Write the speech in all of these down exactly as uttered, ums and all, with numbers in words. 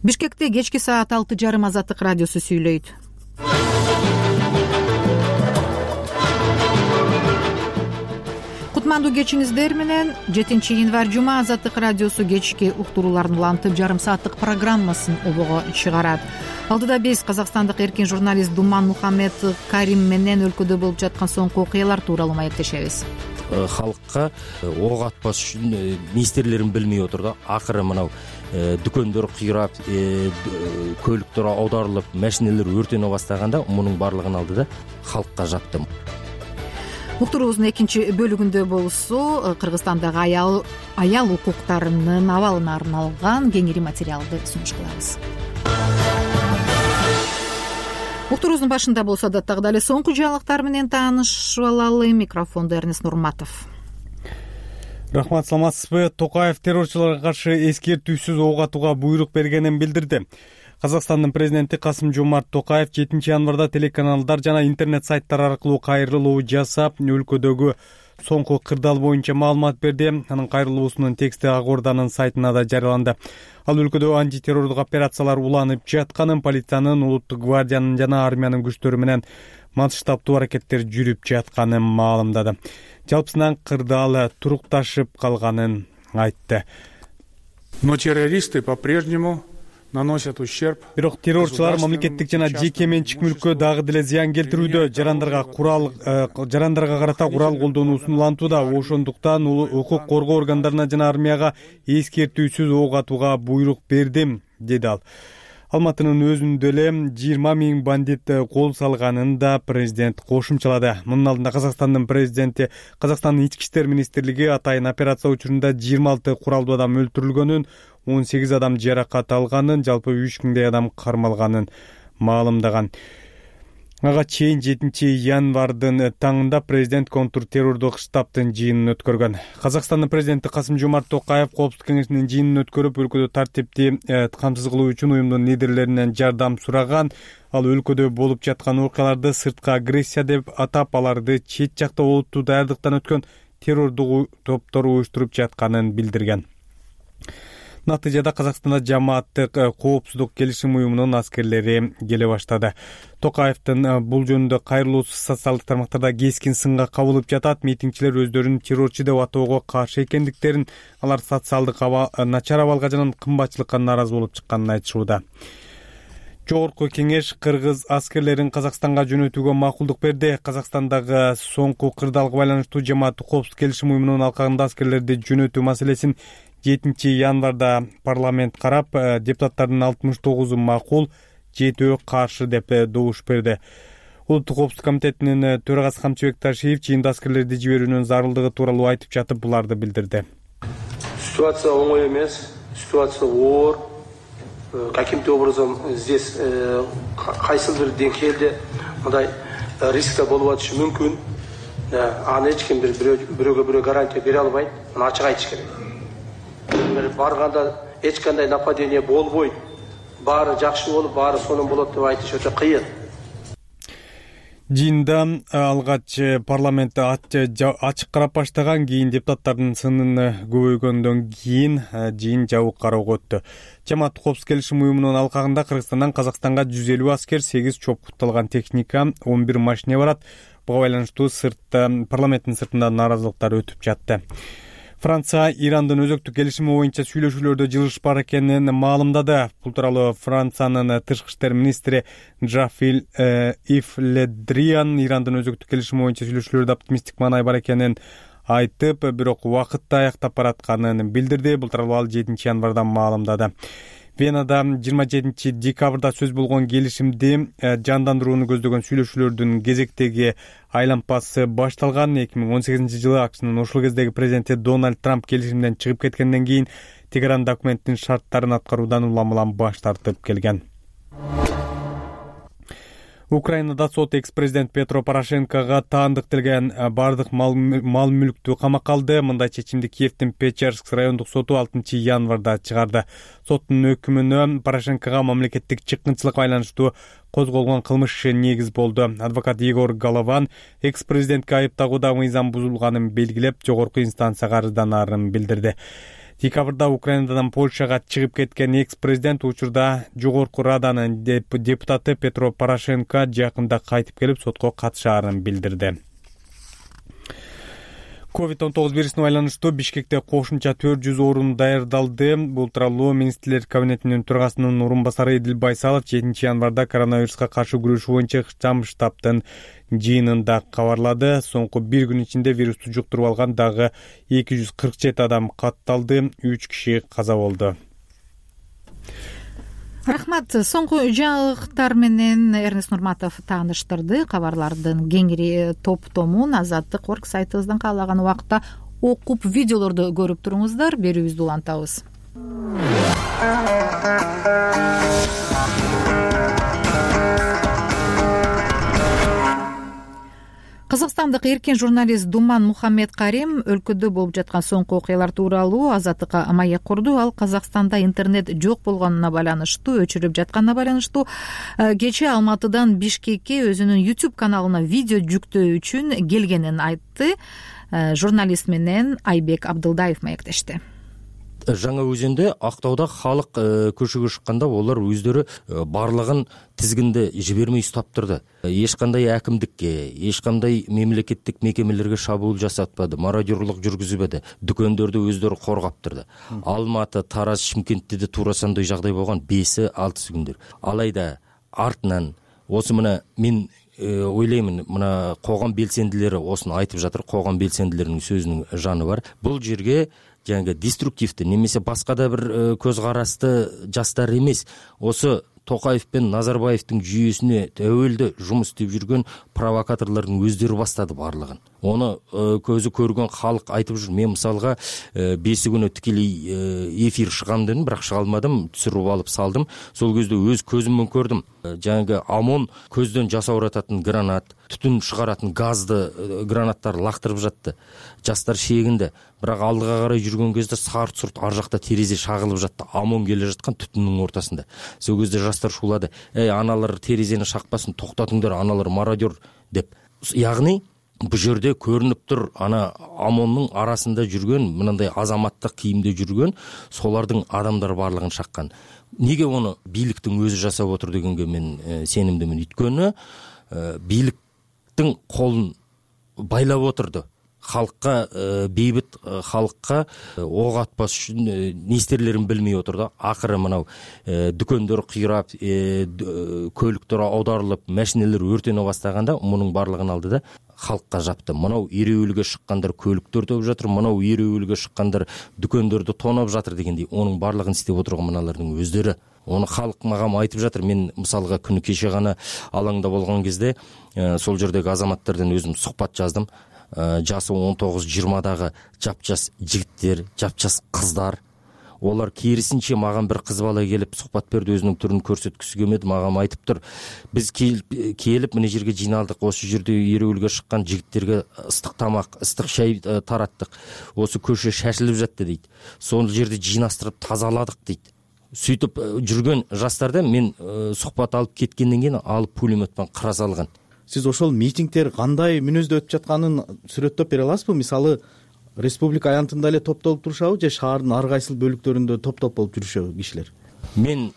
Бишкекте кечки саат алты жарым Азаттык радиосу сүйлөйт. Кутмандуу кечиңиздер менен жетинчи январь жума Азаттык радиосу кечки уктурууларын улантып жарым сааттык программасын обого чыгарат. Алдыда биз казакстандык эркин журналист Думан Мухаммед Карим менен өлкөдө болуп жаткан соңку окуялар тууралуу маектешебиз. Халыкка ок атпаш үчүн министрлерин билмей отур да. Акыры мынау дүкөндөр кыйрап, көлүктөр аударылып, машиналар өртөнө бастаганда мунун баардыгын алдыда халкка жаптым. Уктуруубуздун экинчи бөлүгүндө болсо Кыргызстандагы аял аял укуктарынын абалына арналган кеңири материалды сунуш кылабыз. Уктуруубуздун башында болсо да дагы эле соңку жаңылыктар менен таанышып алалы. Микрофондо Эрнест Нурматов. Рахмат, саламатсызбы? Токаев террорчуларга каршы эскертүүсүз ок атууга буйрук бергенин билдирди. Казакстандын президенти Касым-Жомарт Токаев жетинчи январда телеканалдар жана интернет сайттар аркылуу кайрылуу жасап, өлкөдөгү соңку кырдаал боюнча маалымат берди. Анын кайрылуусунун тексти Ак Орданын сайтына да жарыяланды. Ал өлкөдө антитеррордук операциялар уланып жатканын, полициянын, улуттук гвардиянын жана армиянын күчтөрү менен масштабдуу аракеттер жүрүп жатканын маалымдады. Жалпысынан кырдаал турукташып калганын айтты. Но террористы по-прежнему наносят ущерб. Бирок террорчулар мамлекеттик жана жеке менчик мүлккө дагы деле зыян келтирүүдө, жарандарга курал жарандарга карата курал колдонуусун улантууда. Ошондуктан укук коргоо органдарына жана армияга эскертүүсүз ок атууга буйрук бердим, деди ал. Алматынын өзүндө эле жыйырма миң бандит кол салганын да президент кошумчалады. Мунун алдында Казакстандын президенти Казакстандын ички иштер министрлиги атайын операция учурунда жыйырма алты куралдуу адам өлтүрүлгөнүн, он сегиз адам жаракат алганын, жалпы үч миңдей адам кармалганын маалымдаган. Ага чейин жетинчи январдын таңында президент контртеррордук штабтын жыйынын өткөргөн. Казакстандын президенти Касым-Жомарт Токаев Коопсуздук кеңешинин жыйынын өткөрүп, өлкөдө тартипти камсыз кылуу үчүн уюмдун лидерлеринен жардам сураган. Ал өлкөдө болуп жаткан окуяларды сырткы агрессия деп атап, аларды чет жакта олуттуу даярдыктан өткөн террордук топтору уюштуруп жатканын билдирген. Натыйжада Казакстанда жамааттык коопсуздук келишим уюмунун аскерлери келе баштады. Токаевдин бул жөнүндө кайрылуусу социалдык тармактарда кескин сынга кабылып жатат. Митингчилер өздөрүн террорчу деп атоого каршы экендиктерин, алар социалдык начар абалга жана кымбатчылыкка нааразы болуп чыкканын айтышууда. Жогорку кеңеш кыргыз аскерлерин Казакстанга жөнөтүүгө макулдук берди. Казакстандагы соңку кырдаалга байланыштуу жамааттык коопсуздук келишим уюмунун алкагында аскерлерди жөнөтүү маселесин жетинчи январда парламент карап, депутаттардын алтымыш тогузу макул, жетөө каршы деп добуш берди. Улуттук коопсуздук комитетинин төрагасы Камчыбек Ташиев жыйында аскерлерди жиберүүнүн зарылдыгы тууралуу айтып жатып, буларды билдирди. Ситуация оңой эмес, ситуация оор. Каким-то образом здесь кайсыл бир деңгээлде мындай рисктер болуп атышы мүмкүн. Аны эч ким бирөөгө бирөө гарантия бере албайт. Аны ачык айтыш керек. Барганда эч кандай нападение болбойт, баары жакшы болуп, баары сонун болот деп айтыш өтө кыйын. Жыйында алгач парламентте ачык карап баштаган, кийин депутаттардын сынын көбөйгөндөн кийин жыйын жабык кароого өттү. Жамааттык коопсуздук келишим уюмунун алкагында Кыргызстандан Казакстанга жүз элүү аскер, сегиз чопкутталган техника, он бир машина барат. Буга байланыштуу сыртта парламенттин сыртында нааразылыктар өтүп жатты. Франция Ирандын өзөктүк келишими боюнча сүйлөшүүлөрдө жылыш бар экенин маалымдады. Бул тууралуу Франциянын тышкы иштер министри Жафил Ив Ледриан Ирандын өзөктүк келишими боюнча сүйлөшүүлөрдө оптимисттик маанай бар экенин айтып, бирок убакытта аяктап баратканын билдирди. Бул тууралуу ал жетинчи январда маалымдады. Венада жыйырма жетинчи декабрда сөз болгон келишимди жандандырууну көздөгөн сүйлөшүүлөрдүн кезектеги айлампасы башталган. эки миң он сегизинчи жылы АКШнын ошол кездеги президенти Дональд Трамп келишимден чыгып кеткенден кийин Тегеран документтин шарттарын аткаруудан улам-улам баш тартып келген. Украинада сот экс-президент Петро Порошенкого таандыкталган бардык мал мүлктү камакка алды. Мындай чечимди Киевдин Печерск райондук соту алтынчы январда чыгарды. Соттун өкүмүнө Порошенкого мамлекеттик чыккынчылыкка байланыштуу козголгон кылмыш иши негиз болду. Адвокат Егор Голован экс-президентке айыптагууда мыйзам бузулганын белгилеп, жогорку инстанцияга арызданарын билдирди. Декабрда Украинадан Польшага чыгып кеткен экс-президент учурда жогорку раданын депутаты Петро Порошенко жакында кайтып келип сотко катышаарын билдирди. ковид он тогуз вирусуна байланыштуу Бишкекте кошумча төрт жүз орун даярдалды. Бул тууралуу министрлер кабинетинин төрагасынын орун басары Эдил Байсалов жетинчи январда коронавируска каршы күрөшүү боюнча ыкчам штабтын жыйынында кабарлады. Соңку бир күн ичинде вирусту жуктуруп алган дагы эки жүз кырк жети адам катталды, үч киши каза болду. Рахмат. Соңку жаңылыктар менен Эрнест Нурматов тааныштырды. Кабарлардын кеңири топтомун Азаттык орг сайтыбыздан каалаган убакытта окуп, видеолорду көрүп туруңуздар. Берүүбүздү улантабыз. Казакстандык эркин журналист Думан Мухаммед Карим өлкөдө болуп жаткан соңку окуялар тууралуу Азаттыкка маек курду. Ал Казакстанда интернет жок болгонуна байланыштуу, өчүрүлүп жатканына байланыштуу кечээ Алматыдан Бишкекке өзүнүн YouTube каналына видео жүктөө үчүн келгенин айтты. Журналист менен Айбек Абдылдаев маектешти. Жаңа өзүндө Актауда халык көчөгө шыкканда олар өздөрү барлыгын тизгинде жибермей уктап турду. Эч кандай акимдикке, эч кандай мемлекеттик мекемелерге шабуул жасатпады, мародёрлук жүргүзбөдү, дүкөндөрдү өздөрү коргап турду. Алматы, Тараз, Шымкентте да туура ошондой жагдай болгон беш алты күндөр. Алайда артынан осы мына мен ойлоймун, мына коом белсендилери осуну айтып жатыр, коом белсендилеринин сөзүнүн жаны бар. Бул жерге жаңы деструктивдүү немесе башка да бир көз карасты жастар эмес, осы Токаев пен Назарбаевдин жүйөсүнө өбөлдө жумуш иштеп жүргөн провокаторлордун өздөрү баштады барлыгын. Оны көзү көргөн халык айтып жүр. Мен мисалга беси күнү тикелей эфир чыгам дедим, бирок чыга алмадым, түшүрүп алып салдым. Сол кезде өз көзүмөн көрдүм. Жаңы ОМОН көздөн жасаурататын гранат, түтүн чыгаратын газды гранаттар лактырып жатты. Жастар шегинде. Бирок алдыга карай жүргөн кезде сарт-сурт ар жакта терезе шагылып жатты. ОМОН келе жаткан түтүндүн ортасында. Сол кезде жастар шуулады: "Эй, аналар терезени шакпасын, токтотуңдар, аналар мародер" деп. Ягни бул жерде көрүнүп тур, ана ОМОНдун арасында жүргөн, мындай азаматтык кийимде жүргөн солардын адамдар барлыгын шаккан. Неге оны бийликтин өзү жасап отур дегенге мен сенимдимин. Өткөнү бийликтин колун байлап отурду. Халыкка, бейбит халыкка ок атпаш үчүн не истерлерин билмей отурду. Акыры мынау дүкөндөр кыйрап, көлүктөр аударылып, машиналар өртөнө баштаганда мунун барлыгын алды да халыкка жапты. Мынау эреүүлгө шыккандар көлүктөр төп жатыр, мынау эреүүлгө шыккандар дүкөндөрдү тоноп жатыр дегендей, онун барлыгын иштеп отурган мыналардын өздөрү. Оны халык мага айтып жатыр. Мен мисалга күнү кеше гана алаңда болгон кезде сол жердеги азаматтардан өзүм сухбат жаздым. Жасы он тогуз жыйырмадагы жапжас жигиттер, жапжас кыздар. Олар керисинче маган бир кыз бала келип сухбат берди, өзүнүн түрүн көрсөткүсү келмеди, мага айтып тур: "Биз келип мына жерге жыйналдык, осы жерде эреүүлгө шыккан жигиттерге ыстык тамак, ыстык чай тараттык. Осы көчө шашылып жатты" дейт. "Сол жерде жыйнаштырып тазаладык" дейт. Сүйтүп жүргөн жастарда мен сухбат алып кеткенден кийин алып пулеметпен кыра салган. Сиз ошол митингдер кандай мүнөздө өтүп жатканын сүрөттөп бере аласызбы? Мисалы, республика аянтында эле топтолуп турушабы же шаардын ар кайсыл бөлүктөрүндө топ-топ болуп жүрүшөбү кишилер? Мен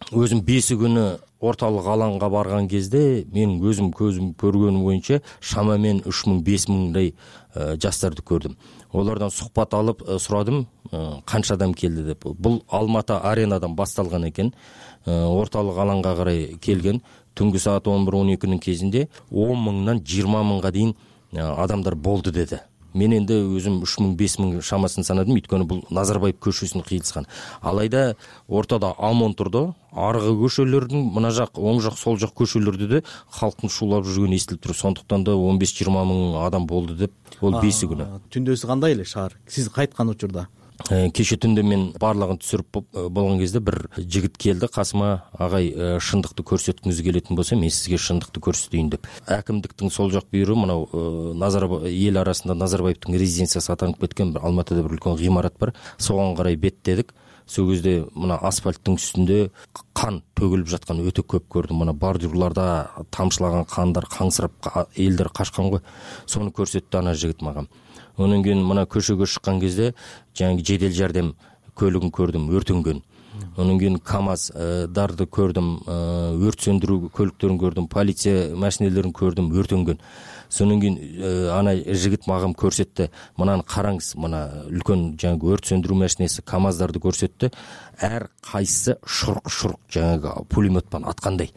өзүм беси күнү орталык алаңга барган кезде мен өзүм көзүм көргөнүм боюнча шамамен үч миң беш миңдей жастарды көрдүм. Олардан сухбат алып сурадым, канча адам келди деп. Бул Алматы аренадан башталган экен. Орталык алаңга карай келген. Түнгү саат он бир он экинин кезинде он мыңдан жыйырма мыңга дейин адамдар болду деди. Мен энди өзүм үч миң беш миң шамасын санадым, өйткөнү бул Назарбаев көчөсүнө кыйылышкан. Алайда ортада ОМОН турду. Аркы көчөлөрдүн мына жак, оң жак, сол жак көчөлөрдө да халктын шуулап жүргөнү эстелип тур. Сондуктан да он беш жыйырма миң адам болду деп. Бул беси күнү. Түндөсү кандай эле шаар? Сиз кайткан учурда? Кеше түндө мен барлыгын түшүрүп болгон кезде бир жигит келди касыма: "Агай, шындыкты көрсөткүңүз келетін болсо, мен сизге шындыкты көрсөтөйүн" деп. Акимдиктин сол жак бүйүрү мынау Назарбаев эл арасында Назарбаевдин резиденциясы атанып кеткен бир Алматыда бир үлкөн гыймарат бар. Согон карай беттедик. Сол кезде мына асфальттын үстүндө кан төгүлүп жаткан өтө көп көрдүм. Мына бордюрларда тамчылаган кандар, каңсырап элдер качкан го. Сону көрсөттү ана жигит мага. Анан кийин мына көчөгө шыккан кезде жаңы жедел жардам көлүгүн көрдүм, өртөнгөн. Анан кийин КАМАЗдарды көрдүм, өрт сөндүрүү көлүктөрүн көрдүм, полиция машинелерин көрдүм, өртөнгөн. Сонун кийин ана жигит мага көрсөттү. Мынаны караңыз, мына үлкөн жаңы өрт сөндүрүү машинеси КАМАЗдарды көрсөттү. Ар кайсысы шурк-шурк жаңы пулемет менен аткандай.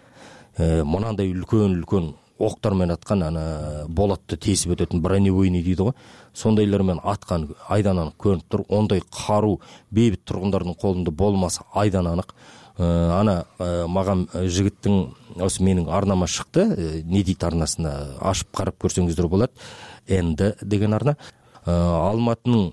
Мынандай үлкөн-үлкөн октор менен аткан, ана болотто тесип өтөтүн бронебойный дейди го. Сондайлар менен аткан айдан анык көрүнүп тур. Ондай каруу бейбит тургундардын колунда болмаса айдан анык. Ана мага жигиттин осы менин арнама шыкты, не дейт арнасына ашып карап көрсөңүздөр болот. Энди деген арна. Алматынын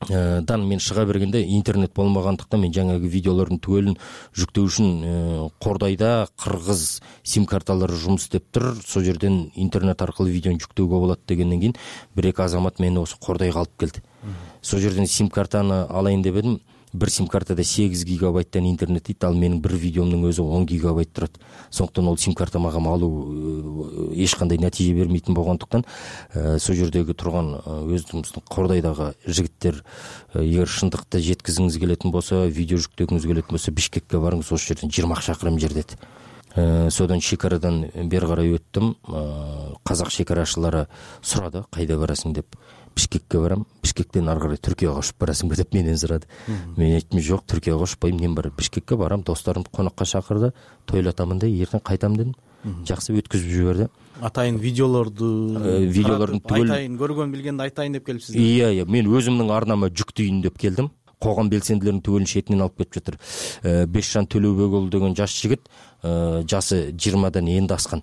дан мен чыга бергенде интернет болмагандыктан мен жаңагы видеолордун түгөлүн жүктөө үчүн Кордайда кыргыз сим карталары жумуш істеп тур. Сол жерден интернет аркылуу видеону жүктөөгө болот дегенден кийин бир эки азамат мени осы Кордайга алып келди. Сол жерден сим картаны алайын деп едим. Бир сим картада сегиз гигабайттан интернет дейт, ал менин бир видеомдун өзү он гигабайт турат. Сондуктан ол сим карта мага алуу эч кандай натыйжа бермейтин болгондуктан сол жердеги турган өзүбүздүн Кордайдагы жигиттер эгер шындыкта жеткизиңиз келетин болсо, видео жүктөгүңүз келетин болсо, Бишкекке барыңыз, ошол жерден жыйырма чакырым жер деді. Содан шекарадан бери карай өттүм. Казак шекарашылары сурады, кайда барасың деп. Бишкекке барам. Бишкектен ары карай Түркияга кошуп барасыңбы деп менен сурады. Мен айттым, жок, Түркияга кошпойм, мен бар Бишкекке барам, досторумду конокко чакырды, тойлатамын да, эртең кайтам дедим. Жакшы өткүзүп жиберди. Атайын видеолорду, видеолордун түгөл айтайын, көргөн билгенди айтайын деп келипсиз. Iya, iya, мен өзүмдүн арнама жүктөйүн деп келдим. Когам белсендилердин түгөлүн шетинен алып кетип жатыр. Бешжан Төлөбекұлы деген жаш жигит, жасы жыйырмадан энди аскан.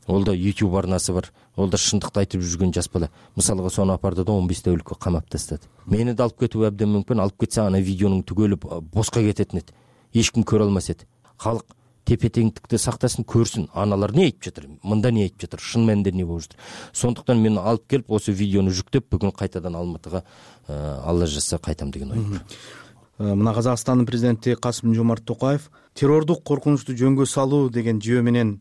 Ол да YouTube арнасы бар. Ол да шындыкты айтып жүргөн жас бала. Мисалга сону апарды да он беш тәулүккө камап тастады. Мени да алып кетүү абдан мүмкүн. Алып кетсе ана видеонун түгөлү боска кететин эди. Эч ким көрө алмас эди. Калк тепе-теңдикти сактасын, көрсүн. Аналар не айтып жатыр? Мында не айтып жатыр? Шын мәнинде не болуп жатыр? Сондуктан мен алып келип, осы видеону жүктөп, бүгүн кайтадан Алматыга Алла жазса кайтам деген ой бар. Мына Казакстандын президенти Касым-Жомарт Токаев террордук коркунучту жөнгө салуу деген жүйө менен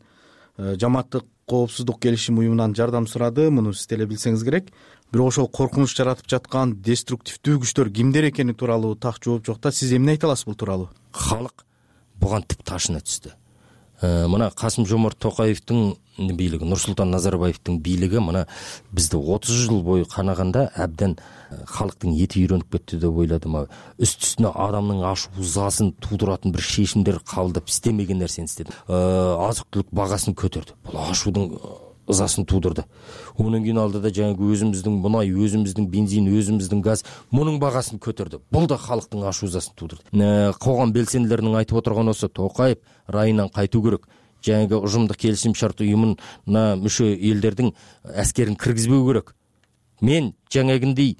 жамааттык коопсуздук келишим уюмунан жардам сурады. Муну сиз деле билсеңиз керек. Бирок ошол коркунуч жаратып жаткан деструктивдүү күчтөр кимдер экени тууралуу так жооп жок да. Сиз эмне айта аласыз бул тууралуу? Халык буга тип ташына түздү. Мына Касым-Жомарт Токаевдин бийлиги, Нурсултан Назарбаевдин бийлиги мына бизди отуз жыл бою канаганда абдан халыктын эти үйрөнүп кетти деп ойладым. Үст-үстүнө адамдын аш узасын туудуратын бир шешимдер кабылдап истемеген нерсени истеди. Азык-түлүк багасын көтөрдү. Бул ашуудун ызасын туудурду. Онун кийин алдыда жаңы өзүбүздүн мунай, өзүбүздүн бензин, өзүбүздүн газ, мунун багасын көтөрдү. Бул да халыктын аш узасын туудурду. Когам белсендилеринин айтып отурганы болсо, Токаев райынан кайтуу керек. Жаңы ужумдук келишим шарт уюмуна мүчө элдердин аскерин киргизбөө керек. Мен жаңагындай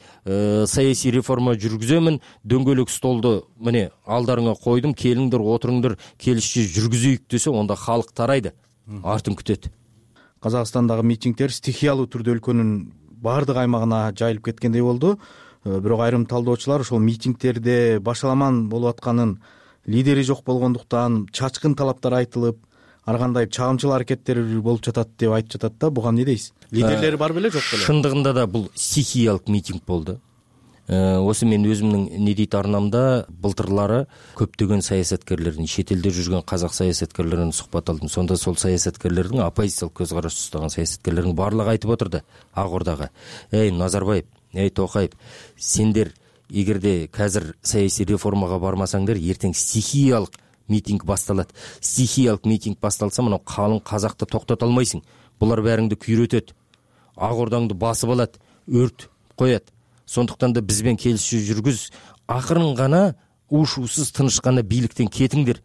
саясий реформа жүргүзөмүн, дөңгөлөк столду міне алдарыңа койдум, келиңдер, отуруңдар, келишчи жүргүзөйүк десе, онда халык тарайды, артын күтөт. Казакстандагы митингдер стихиялуу түрдө өлкөнүн баардык аймагына жайылып кеткендей болду. Бирок айрым талдоочулар ошол митингдерде башаламан болуп атканын, лидери жок болгондуктан чачкын талаптар айтылып, ар кандай чагымчыл аракеттер болуп жатат деп айтып жатат да. Буга эмне дейсиз? Лидерлери бар беле, жок беле? Шындыгында да бул стихиялык митинг болду. Осы мен өзүмдүн не дейт арнамда былтырлары көптөгөн саясаткерлердин, чет элде жүргөн казак саясаткерлеринен сухбат алдым. Сонда сол саясаткерлердин, оппозициялык көз караш тустаган саясаткерлердин баардыгы айтып отурду Ак Ордага: "Эй, Назарбаев, эй, Токаев, сендер эгерде казыр саясий реформага бармасаңдар, эртең стихиялык митинг басталат. Стихиялык митинг басталса, мына калың казакты токтото алмайсың. Булар бәріңді күйрөтөт. Ак Ордаңды басып алат, өрт коят. Сондуктан да бизбен келишүү жүргүз, акырын гана ушуусуз тынышканда бийликтен кетиңдер"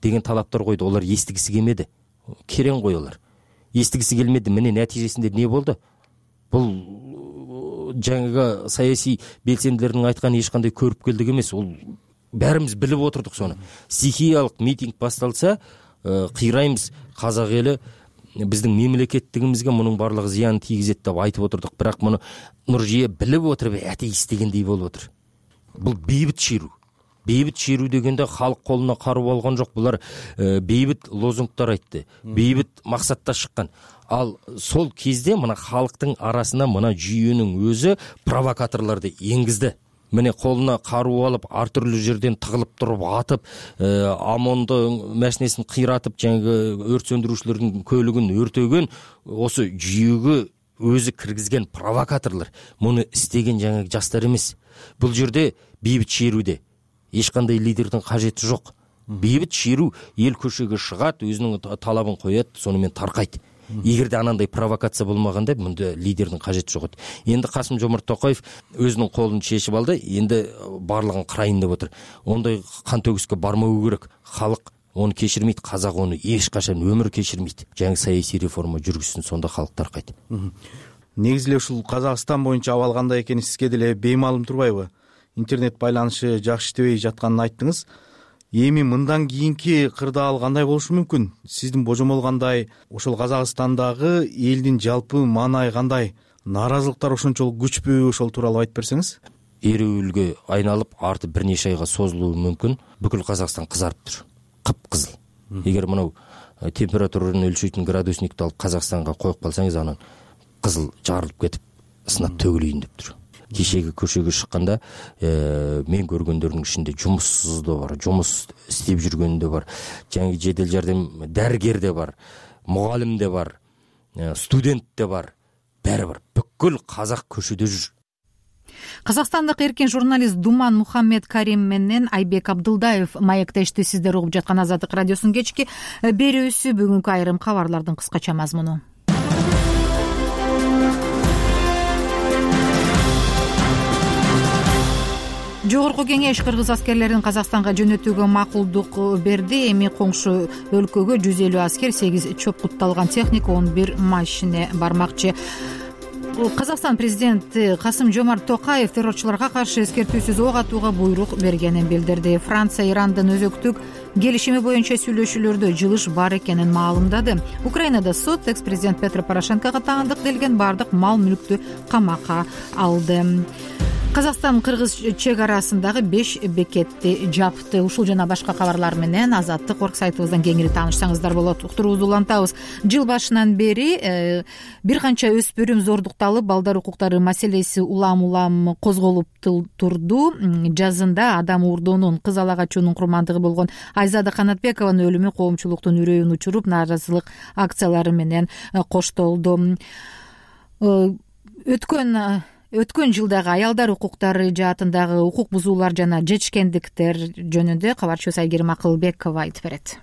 деген талаптар койду. Олар эстигиси келмеди. Керең кой олар. Эстигиси келмеди. Міне натыйжасында не болду? Бул жаңыга саясий белсендилердин айтканы эч кандай көрүпкелдик эмес. Ол бәріміз билип отурдук сону. Стихиялык митинг басталса, кыйрайбыз, казак эли биздин мемлекеттигибизге мунун барлыгы зыян тийгизет деп айтып отурдук. Бирок муну Нуржие билип отуруп атеист дегендей болуп отур. Бул бейбит чыйруу. бейбит шерүү дегенде халык колуна каруу алган жок. Булар бейбит лозунгтар айтты, бейбит максатта чыккан. Ал сол кезде мына халыктын арасына мына жүйөнүн өзү провокаторлорду энгизди. Міне колуна каруу алып, ар түрлүү жерден тыгылып туруп атып, ОМОНдун машинесин кыйратып, жаңы өрт сөндүрүүчүлөрдүн көлүгүн өртөгөн осы жүйөгө өзү киргизген провокаторлор. Муну истеген жаңы жастар эмес. Бул жерде бейбит шерүүдө эч кандай лидердин кажети жок. Бейбит шерүү эл көчөгө чыгат, өзүнүн талабын коет, сону менен таркайт. Эгерде анандай провокация болмаганда мында лидердин кажети жок. Энди Касым-Жомарт Токаев өзүнүн колун чечип алды, энди барлыгын кырайын деп отур. Ондай кан төгүскө бармау керек. Халык оны кечирмейт, казак оны эч качан өмүр кечирмейт. Жаңы саясий реформа жүргүзсүн, сонда халык таркайт. Негизи эле ушул Казакстан боюнча абал кандай экени сизге деле беймаалым турбайбы? Интернет байланышы жакшы иштебей жатканын айттыңыз. Эми мындан кийинки кырдаал кандай болушу мүмкүн? Сиздин божомол кандай? Ошол Казакстандагы элдин жалпы маанайы кандай? Нааразылыктар ошончолук күчпү? Ошол тууралуу айтып берсеңиз. Эрүүлгө айналып, арты бир нече айга созулуу мүмкүн. Бүкүл Казакстан кызарып тур. Кып-кызыл. Эгер мынау температураны өлчөйтүн градусникти алып Казакстанга коюп калсаңыз, анан кызыл жарылып кетип, сынап төгүлөйүн деп тур. Кечеги көчөгө чыкканда мен көргөндөрдүн ичинде жумуссуз да бар, жумус иштеп жүргөн да бар, жаңы жедел жардам дарыгер да бар, мугалим да бар, студент да бар, баары бар. Бүкүл казак көчөдө жүр. Казакстандык эркин журналист Думан Мухаммед Карим менен Айбек Абдылдаев маектешти. Сиздер угуп жаткан Азаттык радиосунун кечки берүүсү. Бүгүнкү айрым кабарлардын кыскача мазмуну. Жогорку кеңеш кыргыз аскерлерин Казакстанга жөнөтүүгө макулдук берди. Эми коңшу өлкөгө жүз элүү аскер, сегиз чоопкутталган техника, он бир машине бармакчы. Казакстан президенти Касым-Жомарт Токаев террорчуларга каршы эскертүүсүз ок атууга буйрук бергенин билдирди. Франция Ирандын өзөктүк келишими боюнча сүйлөшүүлөрдө жылыш бар экенин маалымдады. Украинада сот экс-президент Петро Порошенкого таандык делген бардык мал мүлктү камакка алды. Казакстан кыргыз чек арасындагы беш бекетти жапты. Ушул жана башка кабарлар менен Азаттык орг сайтыбыздан кеңири таанышсаңыздар болот. Уктуруубузду улантабыз. Жыл башынан бери э, бир канча өспүрүм зордукталып, балдар укуктары маселеси улам-улам козголуп турду. Жазында адам уурдоонун, кыз ала качуунун курмандыгы болгон Айзада Канатбекованын өлүмү коомчулуктун үрөйүн учуруп, нааразылык акциялары менен коштолду. Өткөн Өткөн жылдагы аялдар укуктары жаатындагы укук бузуулар жана жетишкендиктер жөнүндө кабарчыбыз Айгерим Акылбекова айтып берет.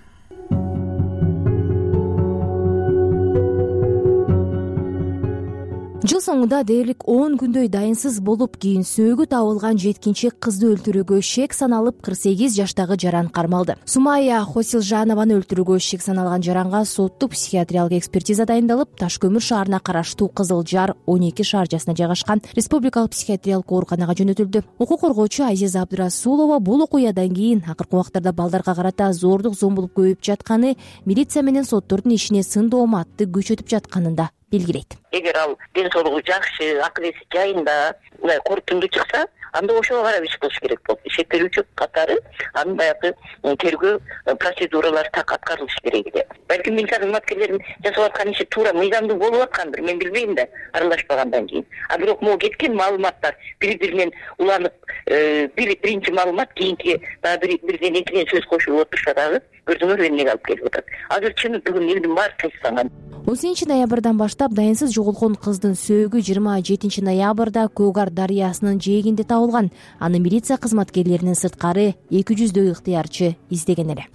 Жыл соңунда дээрлик он күндөй дайынсыз болуп, кийин сөөгү табылган жеткинчек кызды өлтүрүүгө шек саналып, кырк сегиз жаштагы жаран кармалды. Сумая Хосилжанованы өлтүрүүгө шек саналган жаранга соттук психиатриялык экспертиза дайындалып, Таш көмүр шаарына караштуу Кызыл Жар он эки шаарчасына жайгашкан республикалык психиатриялык ооруканага жөнөтүлдү. Укук коргоочу Азиза Абдырасулова бул окуядан кийин акыркы убактарда балдарга карата зордук зомбулук көбөйүп жатканы, милиция менен соттордун ишине сын дооматты күчөтүп жатканын да белгилейт. Эгер ал ден соолугу жакшы, акыл эси жайында, мындай корутундуу чыкса, анда ошого карап иш кылыш керек болот. Ишек берүүчү катары анын баягы тергөө процедуралары так аткарылыш керек эле. Балким милиция кызматкерлеринин жасап аткан иши туура мыйзамдуу болуп аткандыр, мен билбейм да, аралашпагандан кийин. А бирок могу кеткен маалыматтар бири-биринен уланып, бир биринчи маалымат кийинки дагы бирден экиден сөз кошулуп отурса дагы көрдүңөр эмнеге алып келип атат. Азыр чын бүгүн элдин баары тынчсанган. он сегизинчи ноябрдан баштап дайынсыз жоголгон кыздын сөөгү жыйырма жетинчи ноябрда Көөгар дарыясынын жээгинде табылган. Аны милиция кызматкерлеринин сырткары эки жүздөй ыктыярчы издеген эле.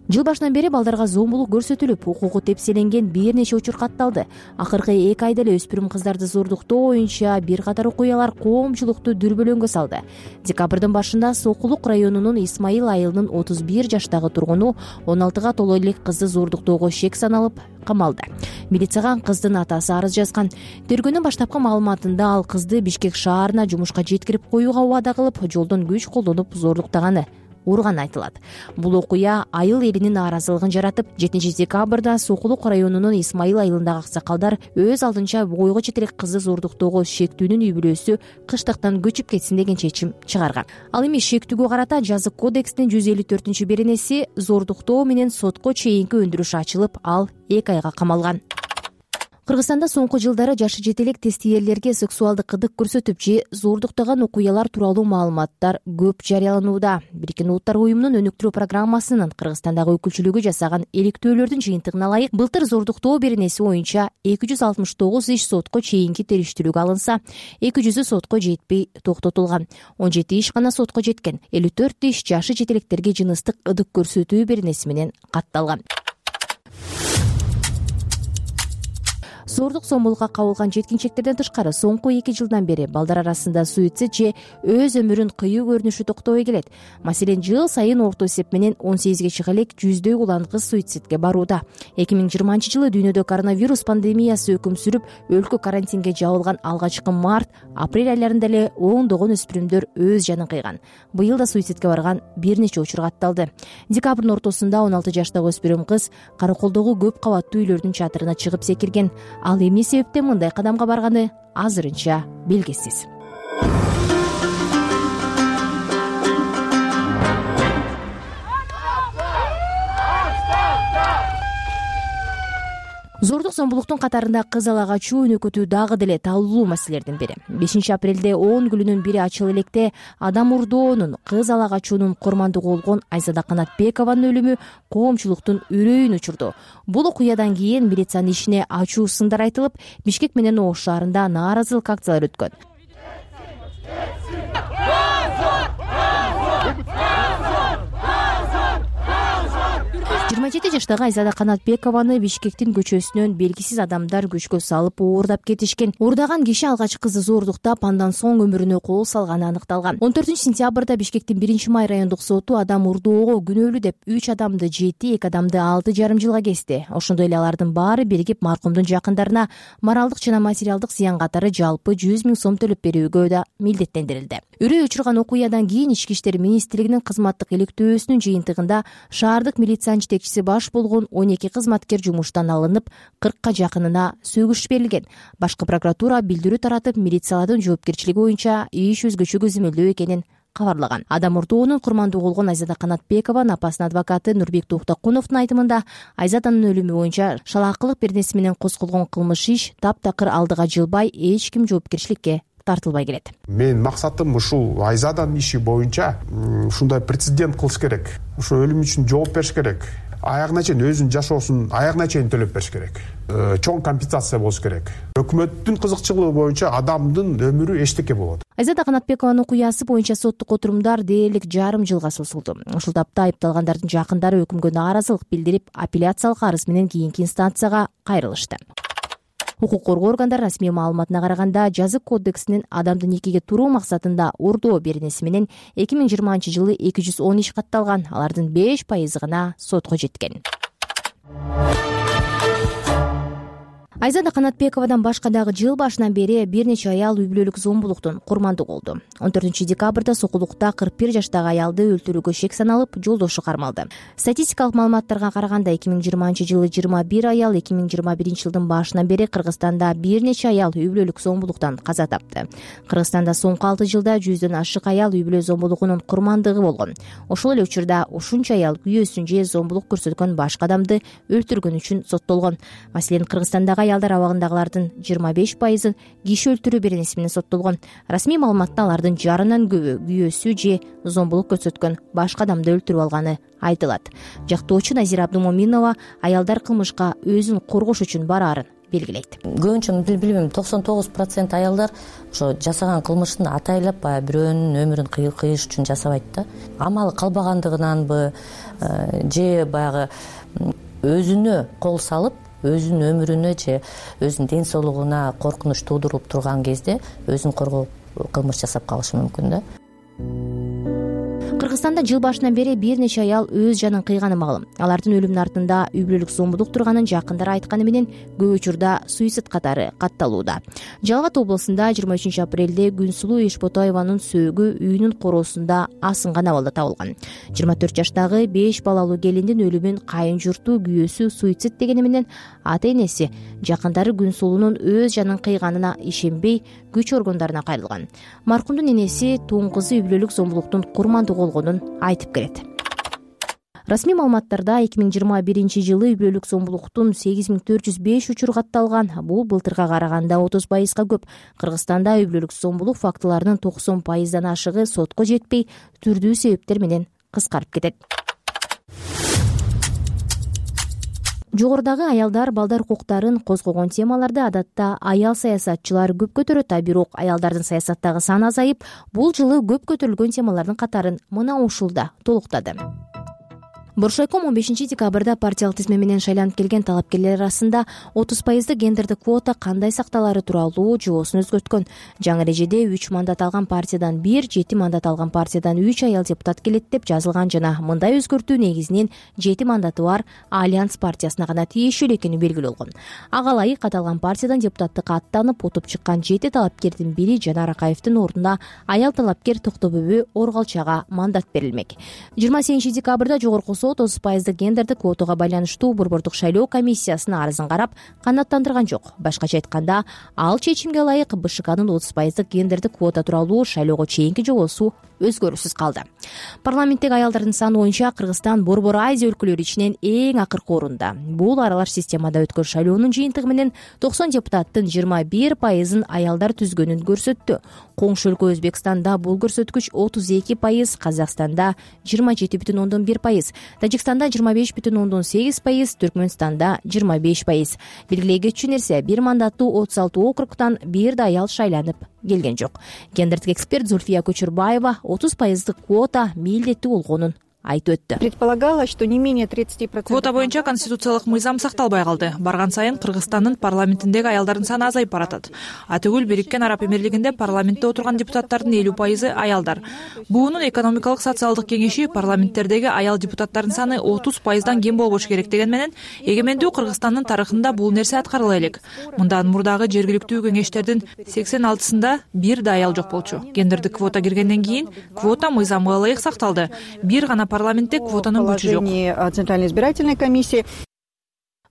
Жыл башынан бери балдарга зомбулук көрсөтүлүп, укугу тепселенген бир нече учур катталды. Акыркы эки айда эле өспүрүм кыздарды зордуктоо боюнча бир катар окуялар коомчулукту дүрбөлөңгө салды. Декабрдын башында Сокулук районунун Исмаил айылынын отуз бир жаштагы тургуну он алтыга толо элек кызды зордуктоого шек саналып камалды. Милицияга кыздын атасы арыз жазган. Тергөөнүн баштапкы маалыматында ал кызды Бишкек шаарына жумушка жеткирип коюуга убада кылып, жолдон күч колдонуп зордуктаганы урганы айтылат. Бул окуя айыл элинин нааразылыгын жаратып, жетинчи декабрда Сокулук районунун Исмайыл айылындагы аксакалдар өз алдынча бойго жетелик кызды зордуктоого шектүүнүн үй бүлөсү кыштыктан көчүп кетсин деген чечим чыгарган. Ал эми шектүүгө карата жазык кодекстин жүз элүү төртүнчү беренеси зордуктоо менен сотко чейинки өндүрүш ачылып, ал эки айга камалган. Кыргызстанда соңку жылдары жашы жетелек тестиерлерге сексуалдык кыдык көрсөтүп же зордуктаган окуялар тууралуу маалыматтар көп жарыяланууда. Бириккен Улуттар уюмунун өнүктүрүү программасынын Кыргызстандагы өкүлчүлүгү жасаган иликтөөлөрдүн жыйынтыгына ылайык, былтыр зордуктоо беренеси боюнча эки жүз алтымыш тогуз иш сотко чейинки териштирүүгө алынса, эки жүзү сотко жетпей токтотулган. он жети иш гана сотко жеткен. элүү төрт иш жашы жетелектерге жыныстык ыдык көрсөтүү беренеси менен катталган. Зордук зомбулукка кабылган жеткинчектерден тышкары соңку эки жылдан бери балдар арасында суицид же өз өмүрүн кыюу көрүнүшү токтобой келет. Маселен, жыл сайын орто эсеп менен он сегизге чыга элек жүздөй улан кыз суицидке барууда. эки миң жыйырманчы жылы дүйнөдө коронавирус пандемиясы өкүм сүрүп, өлкө карантинге жабылган алгачкы март, апрель айларында эле ондогон өспүрүмдөр өз жанын кыйган. Быйыл да суицидке барган бир нече учур катталды. Декабрдын ортосунда он алты жаштагы өспүрүм кыз Караколдогу көп кабаттуу үйлөрдүн чатырына чыгып секирген. Ал эмне себептен мындай кадамга барганы азырынча белгисиз. Зордук зомбулуктун катарында кыз ала качуу өнөкөтүү дагы деле талуулуу маселелердин бири. бешинчи апрелде он күлүнүн бири ачыл электе адам урдоонун, кыз ала качуунун курмандыгы болгон Айзада Канатбекованын өлүмү коомчулуктун үрөйүн учурду. Бул окуядан кийин милициянын ишине ачуу сындар айтылып, Бишкек менен Ош шаарында нааразылык акциялары өткөн. жыйырма жети жаштагы Айзада Канатбекованы Бишкектин көчөсүнөн белгисиз адамдар күчкө салып оордап кетишкен. Уурдаган киши алгач кызды зордуктап, андан соң өмүрүнө кол салганы аныкталган. он төртүнчү сентябрда Бишкектин биринчи май райондук соту адам урдоого күнөөлүү деп үч адамды жети, эки адамды алты жарым жылга кести. Ошондой эле алардын баары биригип маркумдун жакындарына моралдык жана материалдык зыян катары жалпы жүз миң сом төлөп берүүгө да милдеттендирилди. Үрөй учурган окуядан кийин Ички иштер министрлигинин кызматтык иликтөөсүнүн жыйынтыгында шаардык милициянын жетекчиси баш болгон он эки кызматкер жумуштан алынып, кыркка жакынына сөгүш берилген. Башкы прокуратура билдирүү таратып, милициялардын жоопкерчилиги боюнча иш өзгөчө көзөмөлдөө экенин кабарлаган. Адам урдоонун курмандыгы болгон Айзада Канатбекованын апасынын адвокаты Нурбек Токтокуновдун айтымында, Айзаданын өлүмү боюнча шалаакылык беренеси менен козголгон кылмыш иш таптакыр алдыга жылбай, эч ким жоопкерчиликке тартылбай келет. Мен максатым ушул Айзаданын иши боюнча ушундай прецедент кылыш керек. Ошо өлүм үчүн жооп бериш керек. Аягына чейин өзүнүн жашоосун аягына чейин төлөп бериш керек. Чоң компенсация болуш керек. Өкмөттүн кызыкчылыгы боюнча адамдын өмүрү эчтеке болот. Айзада Канатбекованын окуясы боюнча соттук отурумдар дээрлик жарым жылга созулду. Ушул тапта айыпталгандардын жакындары өкүмгө нааразылык билдирип, апелляциялык арыз менен кийинки инстанцияга кайрылышты. Укук коргоо органдары расмий маалыматына караганда, жазык кодексинин адамды никеге туруу максатында урдоо беренеси менен эки миң жыйырманчы жылы эки жүз он иш катталган. Алардын беш пайызы гана сотко жеткен. Айзада Канатбековадан башка дагы жыл башынан бери бир нече аял үй бүлөлүк зомбулуктун курмандыгы болду. он төртүнчү декабрда Сокулукта кырк бир жаштагы аялды өлтүрүүгө шек саналып, жолдошу кармалды. Статистикалык маалыматтарга караганда, эки миң жыйырманчы жылы жыйырма бир аял, эки миң жыйырма биринчи жылдын башынан бери Кыргызстанда бир нече аял үй бүлөлүк зомбулуктан каза тапты. Кыргызстанда соңку алты жылда жүздөн ашык аял үй бүлө зомбулугунун курмандыгы болгон. Ошол эле учурда ушунча аял күйөөсүн же зомбулук көрсөткөн башка адамды өлтүргөн үчүн соттолгон. Маселен, Кыргызстандагы аялдар абагындагылардын жыйырма беш пайызы киши өлтүрүү беренеси менен соттолгон. Расмий маалыматта алардын жарынан көбү күйөөсү же зомбулук көрсөткөн башка адамды өлтүрүп алганы айтылат. Жактоочу Назира Абдумоминова аялдар кылмышка өзүн коргош үчүн бараарын белгилейт. Көбүнчө билбейм, токсон тогуз процент аялдар ошо жасаган кылмышын атайлап баягы бирөөнүн өмүрүн кыйыш үчүн жасабайт да. Амалы калбагандыгынанбы же баягы өзүнө кол салып, өзүнүн өмүрүнө же өзүнүн ден соолугуна коркунуч туудуруп турган кезде өзүн коргоо кылмыш жасап калышы мүмкүн да. Кыргызстанда жыл башынан бери бир нече аял өз жанын кыйганы маалым. Алардын өлүмүнүн артында үй бүлөлүк зомбулук турганын жакындары айтканы менен көп учурда суицид катары катталууда. Жалал Абад облусунда жыйырма үчүнчү апрелде Күнсулуу Эшботаеванын сөөгү үйүнүн короосунда асынган абалда табылган. жыйырма төрт жаштагы беш балалуу келиндин өлүмүн кайын журту күйөөсү суицид дегени менен ата энеси жакындары Күнсулуунун өз жанын кыйганына ишенбей күч органдарына кайрылган. Маркумдун энеси тууң кызы үй бүлөлүк зомбулуктун курмандыгы болгонун айтып келет. Расмий маалыматтарда эки миң жыйырма биринчи жылы үй бүлөлүк зомбулуктун сегиз миң төрт жүз беш учуру катталган. Бул былтырга караганда отуз пайызга көп. Кыргызстанда үй бүлөлүк зомбулук фактыларынын токсон пайыздан ашыгы сотко жетпей, түрдүү себептер менен кыскарып кетет. Жогорудагы аялдар балдар укуктарын козгогон темаларды адатта аял саясатчылар көп көтөрөт, а бирок аялдардын саясаттагы саны азайып, бул жылы көп көтөрүлгөн темалардын катарын мына ушулда толуктады. Боршайком он бешинчи декабрда партиялык тизме менен шайланып келген талапкерлер арасында отуз пайыздык гендердик квота кандай сакталары тууралуу жоосун өзгөрткөн. Жаңы эрежеде үч мандат алган партиядан бир, жети мандат алган партиядан үч аял депутат келет деп жазылган жана мындай өзгөртүү негизинен жети мандаты бар Альянс партиясына гана тиешелүү экени белгилүү болгон. Ага ылайык аталган партиядан депутаттыкка аттанып утуп чыккан жети талапкердин бири Жанар Акаевдин ордуна аял талапкер Токтобөбү Оргалчага мандат берилмек. жыйырма сегизинчи декабрда жогорку сот отуз пайыздык гендердик квотага байланыштуу борбордук шайлоо комиссиясынын арызын карап канааттандырган жок. Башкача айтканда, ал чечимге ылайык БШКнын отуз пайыздык гендердик квота тууралуу шайлоого чейинки жобосу өзгөрүүсүз калды. Парламенттеги аялдардын саны боюнча Кыргызстан Борбор Азия өлкөлөрү ичинен эң акыркы орунда. Бул аралаш системада өткөн шайлоонун жыйынтыгы менен токсон депутаттын жыйырма бир пайызын аялдар түзгөнүн көрсөттү. Коңшу өлкө Өзбекстанда бул көрсөткүч отуз эки пайыз, Казакстанда жыйырма жети бүтүн ондон бир пайыз, Тажикстанда жыйырма беш бүтүн ондон сегиз пайыз, Түркмөнстанда жыйырма беш пайыз. Белгилей кетчү нерсе, бир мандаттуу отуз алты округтан бир да аял шайланып келген жок. Гендердик эксперт Зульфия Көчүрбаева отуз пайыздык квота милдеттүү болгонун айтып өттү. Предполагалось, что не менее тридцати процентов. Квота боюнча конституциялык мыйзам сакталбай калды. Барган сайын Кыргызстандын парламентиндеги аялдардын саны азайып баратат. Атүгүл Бириккен Араб Эмирлигинде парламентте отурган депутаттардын элүү пайызы аялдар. Буунун экономикалык социалдык кеңеши парламенттердеги аял депутаттардын саны отуз пайыздан кем болбош керек деген менен эгемендүү Кыргызстандын тарыхында бул нерсе аткарыла элек. Мындан мурдагы жергиликтүү кеңештердин сексен алтысында бир да аял жок болчу. Гендердик квота киргенден кийин квота мыйзамга ылайык сакталды. Бир гана парламентте квотанын күчү жок. Центральной избирательной комиссии.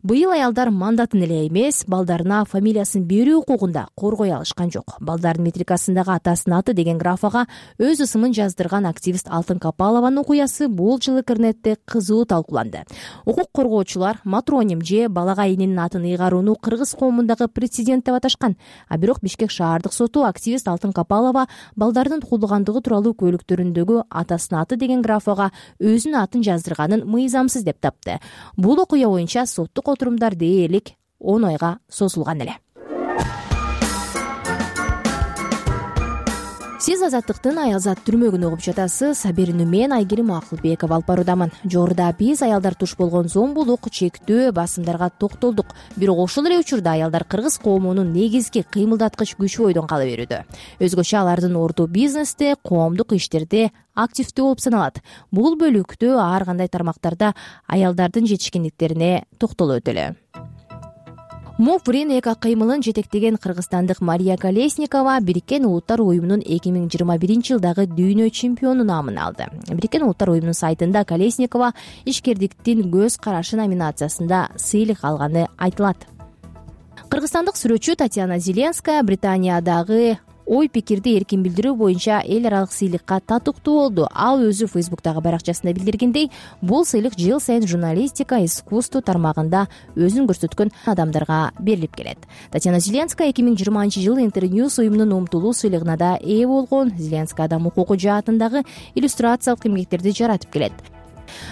Быйыл аялдар мандатын эле эмес, балдарына фамилиясын берүү укугунда коргой алышкан жок. Балдардын метрикасындагы атасынын аты деген графага өз ысымын жаздырган активист Алтын Капалованын окуясы бул жылы интернетте кызуу талкууланды. Укук коргоочулар матроним же балага эненин атын ыйгарууну кыргыз коомундагы прецедент деп аташкан. А бирок Бишкек шаардык соту активист Алтын Капалова балдардын туулгандыгы тууралуу көлүктөрүндөгү атасынын аты деген графага өзүнүн атын жаздырганын мыйзамсыз деп тапты. Бул окуя боюнча соттук отурумдар дээрлик он айга созулган эле. Сиз Азаттыктын Аялзат түрмөгүн угуп жатасыз. Аберүүнү мен Айгерим Акылбекова алып баруудамын. Жогоруда биз аялдар туш болгон зомбулук, чектөө, басымдарга токтолдук. Бирок ошол эле учурда аялдар кыргыз коомунун негизги кыймылдаткыч күчү бойдон кала берүүдө. Өзгөчө алардын орду бизнесте, коомдук иштерде активдүү болуп саналат. Бул бөлүктө ар кандай тармактарда аялдардын жетишкендиктерине токтолуп өтөлү. МОК эки кыймылын жетектеген кыргызстандык Мария Колесникова Бириккен Улуттар уюмунун эки миң жыйырма биринчи жылдагы дүйнө чемпиону наамын алды. Бириккен Улуттар уюмунун сайтында Колесникова ишкердиктин көз карашы номинациясында сыйлык алганы айтылат. Кыргызстандык сүрөтчү Татьяна Зеленская Британиядагы ой пикирди эркин билдирүү боюнча эл аралык сыйлыкка татыктуу болду. Ал өзү Фейсбуктагы баракчасында билдиргендей, бул сыйлык жыл сайын журналистика, искусство тармагында өзүн көрсөткөн адамдарга берилип келет. Татьяна Зеленская эки миң жыйырманчы жылы Интерньюз уюмунун умтулуу сыйлыгына да ээ болгон. Зеленская адам укугу жаатындагы иллюстрациялык эмгектерди жаратып келет.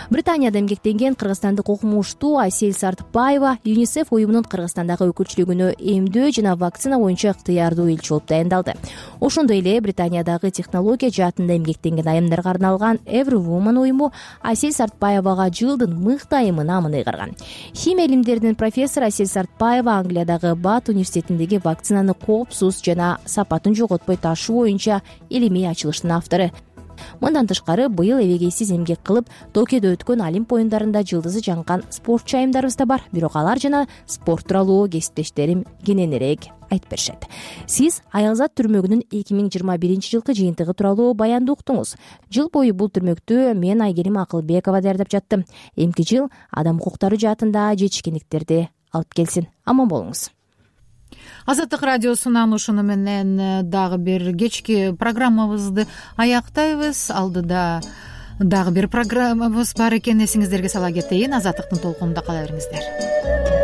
Британияда эмгектенген кыргызстандык окумуштуу Айсель Сартбаева ЮНИСЕФ уюмунун Кыргызстандагы өкүлчүлүгүнө эмдөө жана вакцина боюнча ыктыярдуу элчи болуп дайындалды. Ошондой эле Британиядагы технология жаатында эмгектенген айымдарга арналган Every Woman уюму Айсель Сартбаевага жылдын мыкты айымы наамын ыйгарган. Химия илимдеринин профессору Айсель Сартбаева Англиядагы Бат университетиндеги вакцинаны коопсуз жана сапатын жоготпой ташуу боюнча илимий ачылыштын автору. мындан тышкары быйыл эбегейсиз эмгек кылып Токиодо өткөн Олимп оюндарында жылдызы жанган спортчу айымдарыбыз да бар, бирок алар жана спорт тууралуу кесиптештерим кененирээк айтып беришет. Сиз Аялзат түрмөгүнүн эки миң жыйырма биринчи жылкы жыйынтыгы тууралуу баянды уктуңуз. Жыл бою бул түрмөктү мен Айгерим Акылбекова даярдап жаттым. Эмки жыл адам укуктары жаатында жетишкендиктерди алып келсин. Аман болуңуз. Азаттык радиосунун анушуну менен дагы бир кечки программабызды аяктайбыз. Алдыда дагы бир программабыз бар экенин эсиңиздерге сала кетейин. Азаттыктын толкунунда кала бериңиздер.